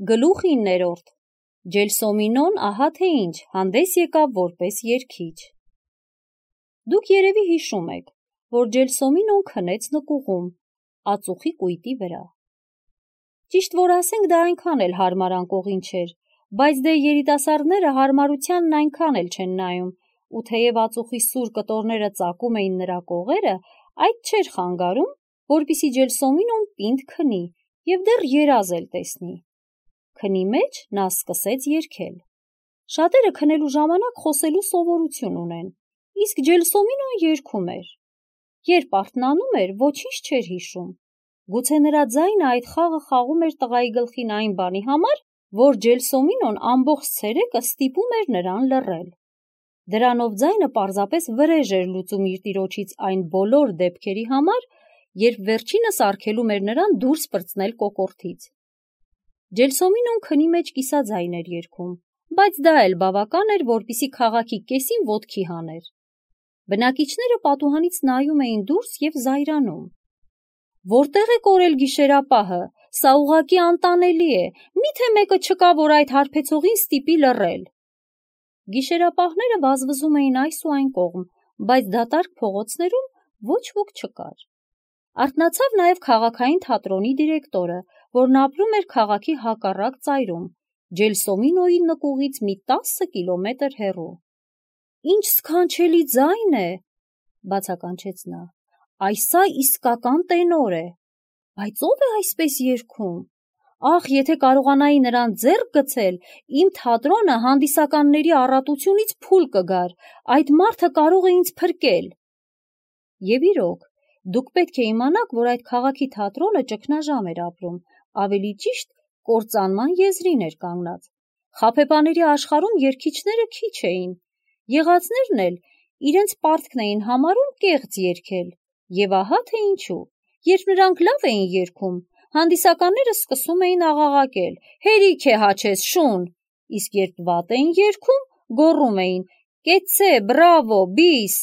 Գլուխ 9. Ջելսոմինոն ահա թե ինչ հանդես եկավ որպես երգիչ։ Դուք երևի հիշում եք, որ Ջելսոմինոն քնեց նկուղում, ածուխի կույտի վրա։ Ճիշտ որ ասենք դա այնքան էլ հարմար անկողին չէր, բայց դե երիտասարդները հարմարությանն այնքան էլ չեն նայում, ու թեև ածուխի սուր կտորները ծակում էին նրա կողերը, այդ չէր խանգարում, որպեսզի Ջելսոմինոն պինդ քնի և դեռ երազ էլ տեսնի։ Քնի մեջ նա սկսեց երգել։ Շատերը քնելու ժամանակ խոսելու սովորություն ունեն, իսկ Ջելսոմինոն երգում էր։ Երբ արթնանում էր, ոչինչ չէր հիշում։ Գուցե նրա ձայնը այդ խաղը խաղում էր տղայի գլխին այն բանի համար, որ Ջելսոմինոն ամբողջ ցերեկը ստիպում էր նրան լռել։ Դրանով ձայնը պարզապես վրեժ էր լուծում իր տիրոջից այն բոլոր դեպքերի համար, երբ վերջինս արգելում էր նրան դուրս պրծնել կոկորդից։ Ջելսոմինոն քնի մեջ կիսաձայն էր երգում, բայց դա էլ բավական էր, որպեսզի քաղաքի կեսին ոտքի հաներ։ Բնակիչները պատուհանից նայում էին դուրս և զայրանում։ Որտե՞ղ է կորել գիշերապահը, սա ուղղակի անտանելի է, միթե մեկը չկա, որ այդ հարբեցողին ստիպի լռել։ Գիշերապահները վազվզում էին այս ու այն կողմ, բայց դատարկ փողոցներում ոչ ոք չկար։ Արթնացավ նաև քաղաքային թատրոնի դիրեկտորը, որն ապրում էր քաղաքի հակառակ ծայրում, Ջելսոմինոյի նկուղից մի 10 կիլոմետր հեռու։ «Ինչ սքանչելի ձայն է», բացականչեց նա, «այս սա իսկական տենոր է, բայց ո՞վ է այսպես երգում։ Ախ, եթե կարողանայի նրան ձեռք գցել, իմ թատրոնը հանդիսականների առատությունից փուլ կգար, այդ մարդը կարող է ինձ փրկել»։ Եվ իրոք, դուք պետք է իմանաք, որ այդ քաղաքի թատրոնը ճգնաժամ էր ապրում, ավելի ճիշտ կործանման եզրին էր կանգնած։ Խաբեբաների աշխարհում երգիչները քիչ էին, եղածներն էլ իրենց պարտքն էին համարում կեղծ երգել, և ահա թե ինչու։ Երբ նրանք լավ էին երգում, հանդիսականները սկսում էին աղաղակել. «Հերիք է հաչես, շուն», իսկ երբ վատ էին երգում, գոռում էին. «Կեցցե, բրավո, բիս»։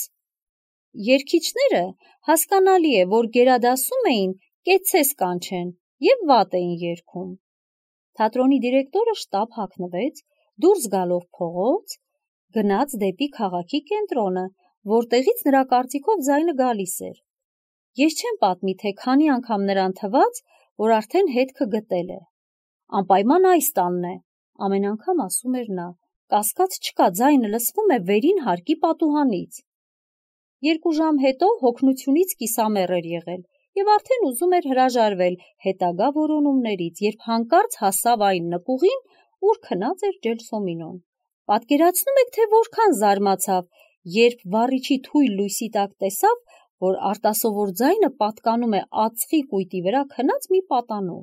Երգիչները, հասկանալի է, որ գերադասում էին «կեցցես» կանչեն և վատ էին երգում։ Թատրոնի դիրեկտորը շտապ հագնվեց, դուրս գալով փողոց, գնաց դեպի քաղաքի կենտրոնը, որտեղից նրա կարծիքով ձայնը գալիս էր։ Ես չեմ պատմի, թե քանի անգամ նրան թվաց, որ արդեն հետքը գտել է։ «Անպայման այս տանն է», ամեն անգամ ասում էր նա, «կասկած չկա, ձայնը լսվում է վերին հարկի պատուհանից»։ 2 ժամ հետո հոգնությունից կիսամեռ էր եղել և արդեն ուզում էր հրաժարվել հետագա որոնումներից, երբ հանկարծ հասավ այն նկուղին, ուր քնած էր Ջելսոմինոն։ Պատկերացնում եք, թե որքան զարմացավ, երբ վառիչի թույլ լույսի տակ տեսավ, որ արտասովոր ձայնը պատկանում է ածխի կույտի վրա քնած մի պատանու։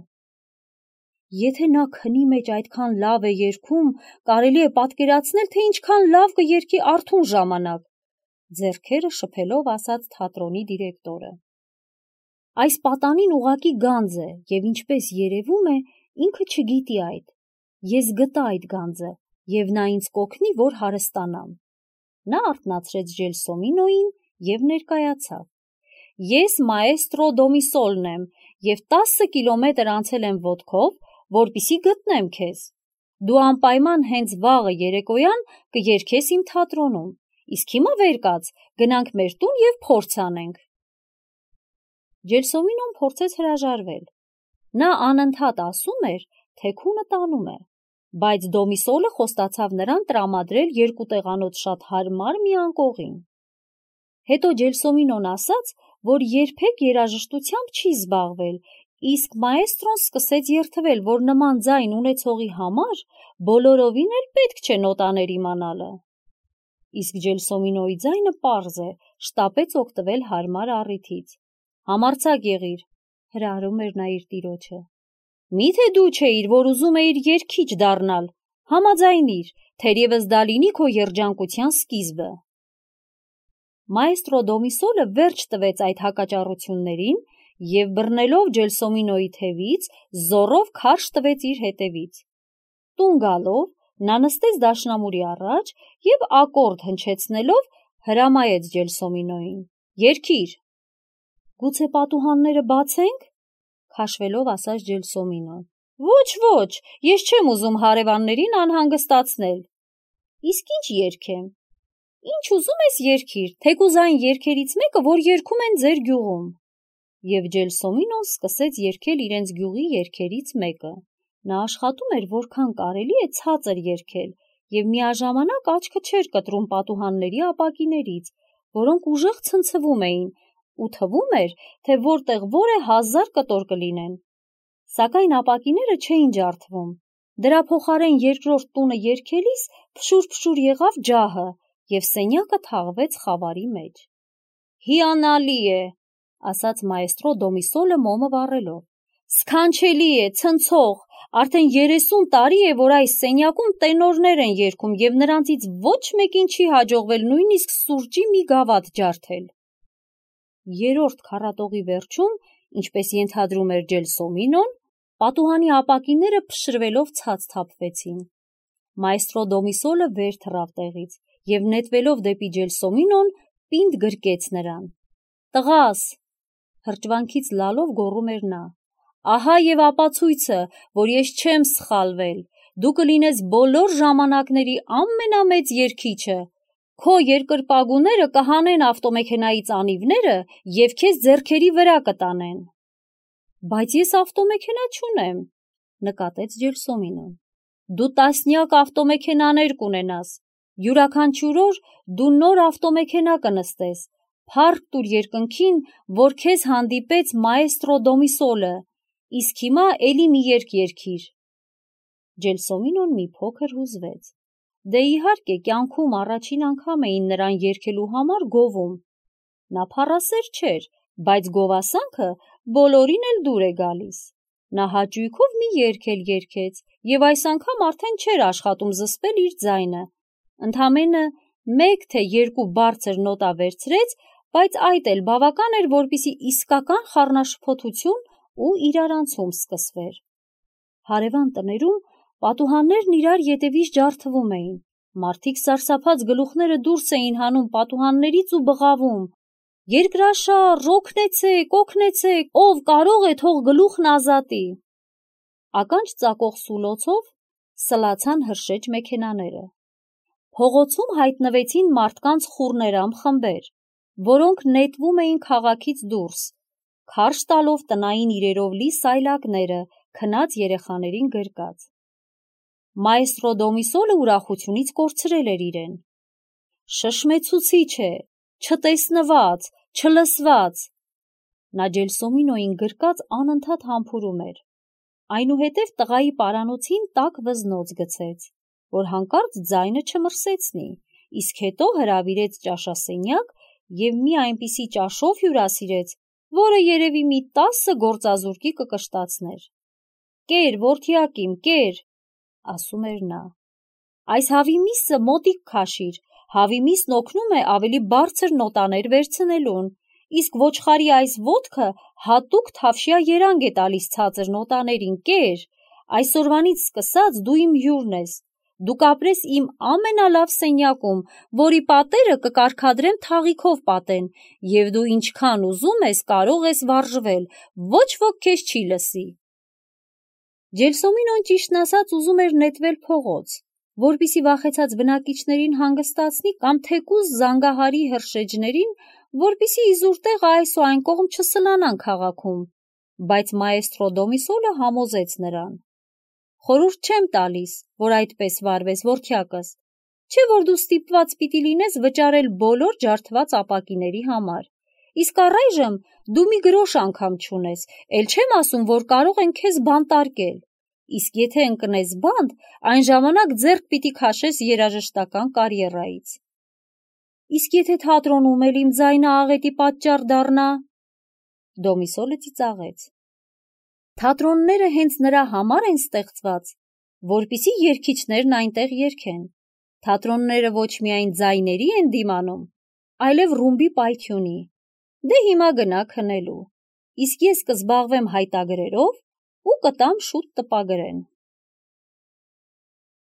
Եթե նա քնի մեջ այդքան լավ է երգում, կարելի է պատկերացնել, թե ինչքան լավ կերգի արթուն ժամանակ, ձեռքերը շփելով ասաց թատրոնի դիրեկտորը։ Այս պատանին ուղղակի գանձ է, և ինչպես երևում է, ինքը չգիտի այդ։ Ես գտա այդ գանձը, և նա ինձ կօգնի, որ հարստանամ։ Նա արթնացրեց Ջելսոմինոյին և ներկայացավ։ Ես մաեստրո Դոմիսոլն եմ և 10 կիլոմետր անցել եմ ոտքով, որպեսզի գտնեմ քեզ։ Դու անպայման հենց վաղը երեկոյան կերգես իմ թատրոնում, իսկ հիմա վեր կաց, գնանք մեր տուն և փորձ անենք։ Ջելսոմինոն փորձեց հրաժարվել։ Նա անընդհատ ասում էր, թե քունը տանում է, բայց Դոմիսոլը խոստացավ նրան տրամադրել 2 տեղանոց շատ հարմար մի անկողին։ Հետո Ջելսոմինոն ասաց, որ երբեք երաժշտությամբ չի զբաղվել, իսկ մաեստրոն սկսեց երդվել, որ նման ձայն ունեցողի համար բոլորովին էլ պետք չէ նոտաներ իմանալը։ Իսկ Ջելսոմինոյի ձայնը պարզ է, շտապեց օգտվել հարմար առիթից։ «Համարձակ եղիր», հրահրում էր նա իր տիրոջը։ «Միթե դու չէիր, որ ուզում էիր երգիչ դառնալ, համաձայնիր, թերևս դա լինի քո երջանկության սկիզբը»։ Մաեստրո Դոմիսոլը վերջ տվեց այդ հակաճառություններին և բռնելով Ջելսոմինոյի թևից, զոռով քարշ տվեց իր հետևից։ Տուն գալով, նա նստեց դաշնամուրի առաջ և ակորդ հնչեցնելով հրամայեց Ջելսոմինոյին. «Երգիր»։ «Գուցե պատուհանները բացե՞նք», քաշվելով ասաց Ջելսոմինոն։ Ոչ, ես չեմ ուզում հարևաններին անհանգստացնել։ Իսկ ինչ երգեմ։ Ինչ ուզում ես երգիր, թեկուզ այն երգերից մեկը, որ երգում են ձեր գյուղում։ Եվ Ջելսոմինոն սկսեց երգել իրենց գյուղի երգերից մեկը։ Նա աշխատում էր որքան կարելի է ցածր երգել, եւ միաժամանակ աչքը չէր կտրում պատուհանների ապակիներից, որոնք ուժեղ ցնցվում էին, ու թվում էր, թե որտեղ որ է 1000 կտոր կլինեն։ Սակայն ապակիները չէին ջարդվում։ Դրա փոխարեն երկրորդ տունը երգելիս փշուր եղավ ջահը, եւ սենյակը թաղվեց խավարի մեջ։ Հիանալի է, ասաց մայստրո Դոմիսոլը մոմը վառելով։ Սքանչելի է, ցնցող, արդեն 30 տարի է, որ այս սենյակում տենորներ են երգում եւ նրանցից ոչ մեկին չի հաջողվել նույնիսկ սուրճի մի գավաթ ջարդել։ Երրորդ քառատողի վերջում, ինչպես ենթադրում էր Ջելսոմինոն, պատուհանի ապակիները փշրվելով ցած թափվեցին։ Մայստրո Դոմիսոլը վեր թռավ տեղից եւ նետվելով դեպի Ջելսոմինոն պինդ գրկեց նրան։ Տղաս, հրճվանքից լալով գոռում էր նա, ահա եւ ապացույցը, որ ես չեմ սխալվել, դու կլինես բոլոր ժամանակների ամենամեծ երգիչը, քո երկրպագուները կհանեն ավտոմեքենայից անիվները եւ քեզ ձեռքերի վրա կտանեն։ Բայց ես ավտոմեքենա չունեմ, նկատեց Ջելսոմինոն։ Դու տասնյակ ավտոմեքենաներ կունենաս, յուրաքանչյուր օր դու նոր ավտոմեքենա կնստես, փառք տուր երկնքին, որ քեզ հանդիպեց մայստրո Դոմիսոլը, իսկ հիմա էլի մի երգ երգիր։ Ջելսոմինոն մի փոքր հուզվեց։ Դե իհարկե կյանքում առաջին անգամ էին նրան երգելու համար գովում։ Նա փառասեր չէր, բայց գովասանքը բոլորին էլ դուր է գալիս։ Նա հաճույքով մի երգ էլ երգեց, եւ այս անգամ արդեն չէր աշխատում զսպել իր ձայնը։ Ընդամենը 1 թե 2 բարձր նոտա վերցրեց, բայց այդ էլ բավական էր, որպեսզի իսկական խառնաշփոթություն ու իրարանցում սկսվեր։ Հարևան տներում պատուհաններն իրար ետևից ջարդվում էին։ Մարդիկ սարսափած գլուխները դուրս էին հանում պատուհաններից ու բղավում. Երկրաշար, օգնեցեք, ով կարող է թող գլուխն ազատի։ Ականջ ծակող սուլոցով սլացան հրշեջ մեքենաները։ Փողոցում հայտնվեցին մարդկանց խուռներամ խմբեր, որոնք նետվում էին քաղաքից դուրս, քարշ տալով տնային իրերով լի սայլակները, քնած երեխաներին գրկած։ Մայստրո Դոմիսոլը ուրախությունից կորցրել էր իրեն։ Շշմեցուցիչ է, չտեսնված, չլսված։ Նա Ջելսոմինոյին գրկած անընդհատ համբուրում էր։ Այնուհետև տղայի պարանոցին տաք վզնոց գցեց, որ հանկարծ ձայնը չմրսեցնի, իսկ հետո հրավիրեց ճաշասենյակ եւ մի այնպիսի ճաշով հյուրասիրեց, որը երևի մի 10 գործազուրկի կկշտացներ։ Կեր, որդիակիմ, կեր, ասում էր նա։ Այս հավի միսը մոտիկ քաշիր, հավի միսն օգնում է ավելի բարձր նոտաներ վերցնելուն, իսկ ոչխարի այս ոտքը հատուկ թավշյա երանգ է տալիս ցածր նոտաներին, կեր, այսօրվանից սկսած դու իմ հյուրն ես, դու կապրես իմ ամենալավ սենյակում, որի պատերը կկարգադրեմ թաղիքով պատեն, եւ դու ինչքան ուզում ես կարող ես վարժվել, ոչ ոք քեզ չի լսի։ Ջելսոմինոն ճիշտն ասած ուզում էր նետվել փողոց, որպեսզի վախեցած բնակիչներին հանգստացնի կամ թեկուզ զանգահարի հրշեջներին, որպեսզի իզուր տեղը այս ու այն կողմ չսլանան քաղաքում, բայց մայստրո Դոմիսոլը համոզեց նրան. Խորհուրդ չեմ տալիս, որ այդպես վարվես, որդյակս, չէ որ դու ստիպված պիտի լինես վճարել բոլոր ջարդված ապակիների համար, իսկ առայժմ դու մի գրոշ անգամ չունես, էլ չեմ ասում, որ կարող են քեզ բանտարկել, իսկ եթե ընկնես բանտ, այն ժամանակ ձեռք պիտի քաշես երաժշտական կարիերայից։ Իսկ եթե թատրոնում էլ իմ ձայնը աղետի պատճառ դառնա, Դոմիսոլը ծիծաղեց։ Թատրոնները հենց նրա համար են ստեղծված, որպեսզի երգիչներն այնտեղ երգեն։ Թատրոնները ոչ միայն ձայների են դիմանում, այլև ռումբի պայթյունի։ Դե հիմա գնա քնելու, իսկ ես կզբաղվեմ հայտագրերով ու կտամ շուտ տպագրեն։